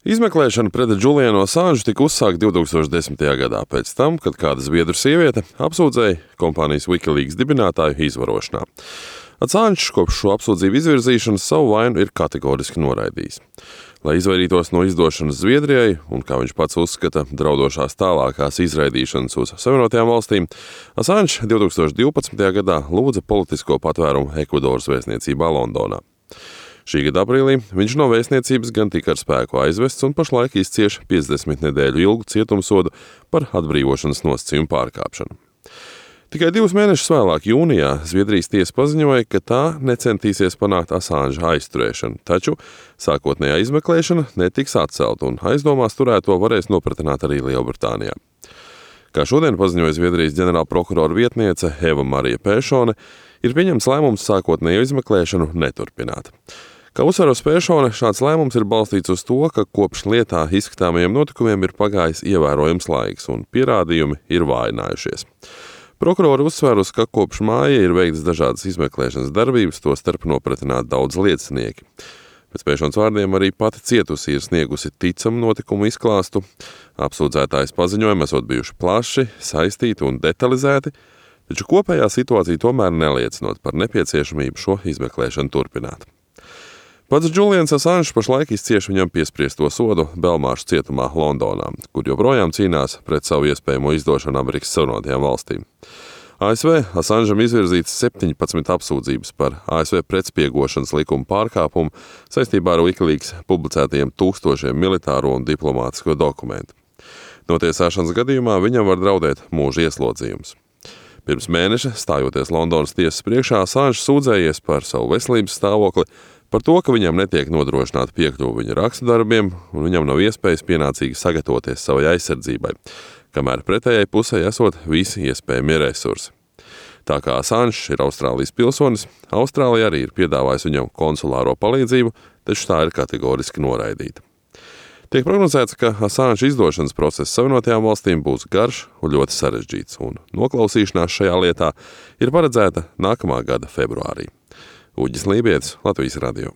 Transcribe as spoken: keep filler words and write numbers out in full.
Izmeklēšana pret Julianu Assange tika uzsākta divtūkstoš desmitajā gadā pēc tam, kad kāda zviedru sieviete apsūdzēja kompānijas Wikileaks dibinātāju izvarošanā. Assange kopš šo apsūdzību izvirzīšanas savu vainu ir kategoriski noraidījis. Lai izvairītos no izdošanas Zviedrijai un, kā viņš pats uzskata, draudošās tālākās izraidīšanas uz Savienotajām valstīm, Assange divtūkstoš divpadsmitajā gadā lūdza politisko patvērumu Ekvadoras vēstniecībā Londonā. Šī gada aprīlī viņš no vēstniecības gan tika ar spēku aizvests un pašlaik izcieš piecdesmit nedēļu ilgu cietumsodu par atbrīvošanas nosacījumu pārkāpšanu. Tikai divus mēnešus vēlāk, jūnijā, Zviedrijas tiesa paziņoja, ka tā necentīsies panākt Assange aizturēšanu, taču sākotnējā izmeklēšana netiks atcelta un aizdomās turēto varēs nopratināt arī Lielbritānijā. Kā šodien paziņoja Zviedrijas ģenerāla prokurora vietniece Eva Marija Pēšone, ir pieņemts lēmums sākotnējo izmeklēšanu neturpināt. Kā uzsver Pēšone, šāds lēmums ir balstīts uz to, ka kopš lietā izskatāmajiem notikumiem ir pagājis ievērojams laiks un pierādījumi ir vājinājušies. Prokurori uzsver, ka kopš māja ir veikts dažādas izmeklēšanas darbības, tostarp nopratināt daudz liecinieki. Pēc Pēšonas vārdiem arī pati cietusī ir sniegusi ticamu notikumu izklāstu. Apsūdzētājas paziņojumi esot bijuši plaši, saistīti un detalizēti, taču kopējā situācija tomēr neliecinot par nepieciešamību šo izmeklēšanu turpināt. Pats Julians Assange pašlaik izcieš viņam piespriesto sodu Belmāršu cietumā Londonā, kur joprojām cīnās pret savu iespējamo izdošanu Amerikas Savienotajām valstīm. A S V Assangeam izvirzīts septiņpadsmit apsūdzības par A S V pretspiegošanas likuma pārkāpumu saistībā ar Wikileaks publicētajiem tūkstošiem militāro un diplomātisko dokumentu. Notiesāšanas gadījumā viņam var draudēt mūža ieslodzījums. Pirms mēneša, stājoties Londonas tiesas priekšā, Assange sūdzējies par savu veselības stāvokli, par to, ka viņam netiek nodrošināta piekļuve viņa rakstudarbiem un viņam nav iespējas pienācīgi sagatavoties savai aizsardzībai, kamēr pretējai pusē esot visi iespējamie resursi. Tā kā Assange ir Austrālijas pilsonis, Austrālija arī ir piedāvājusi viņam konsulāro palīdzību, taču tā ir kategoriski noraidīta. Tiek prognozēts, ka Assange izdošanas process Savienotajām valstīm būs garš un ļoti sarežģīts, un noklausīšanās šajā lietā ir paredzēta nākamā gada februārī. Uģis Lībietis, Latvijas radio.